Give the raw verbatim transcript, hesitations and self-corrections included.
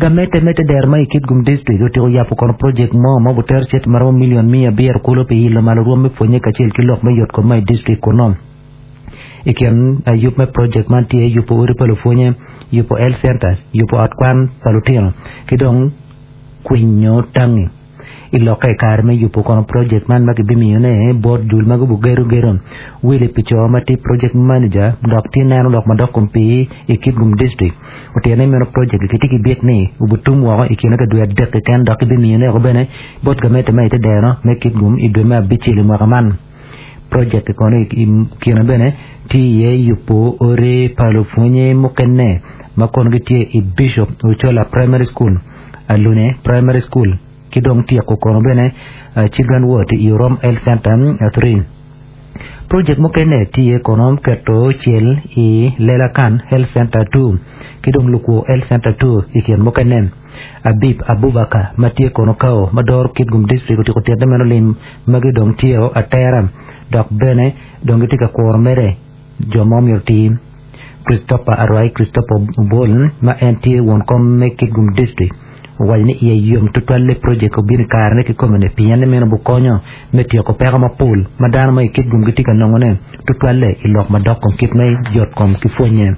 Gamente me te dero ma i Kitgum District otyeko yabo kono project mo ma obutero cente maromo milion mia abiro kulu pi ilo malo rwom me pwonye kacel ki lok me yot kom ma i district kuno. I kin yub me project man tye yubo odi pa lupwonye, yubo health center, yubo ot kwan pa lutino ki dong kwinyo tangi. I lokke i kare me yubo kono project man ma kibimiyone bot jul ma gubugedo gedo Willy Pico ma tye project manager dok tye neno lok madok kom pii i Kitgum District otito ni meno project kitye ki byek ni obutum woko i kine ka dwe adek keken dok kibimiyone woko bene bot gamente ma i te dero me Kitgum i dwe me abicel i mwaka man. Project kono i kine bene tye iye yubo odi pa lupwonye mukene ma kono gitye i Bishop Ochola Primary School, Alune Primary School ki dong tyeko kono bene Children Ward i Orom Health Center three. Project mukene tye kono keto cel i Lela Kan Health Center two ki dong Lukwo Health Center two i kin mukene. Abib Abubakar ma tye kono kao ma doro Kitgum District otyeko tito ni meno lim magi dong tye atera dok bene dong gitye ka kuro mere jo ma omyero oti. Christopher Arwai Christopher Obol ma en tye won kom me Kitgum District owaco ni iye yom tutwalle project obino i karene kikome-ni pien ni meno bukonyo me tyeko peko mapol ma dano ma i Kitgum gitye ka nongone tutwalle i lok madok kom kit me yot kom ki pwonye.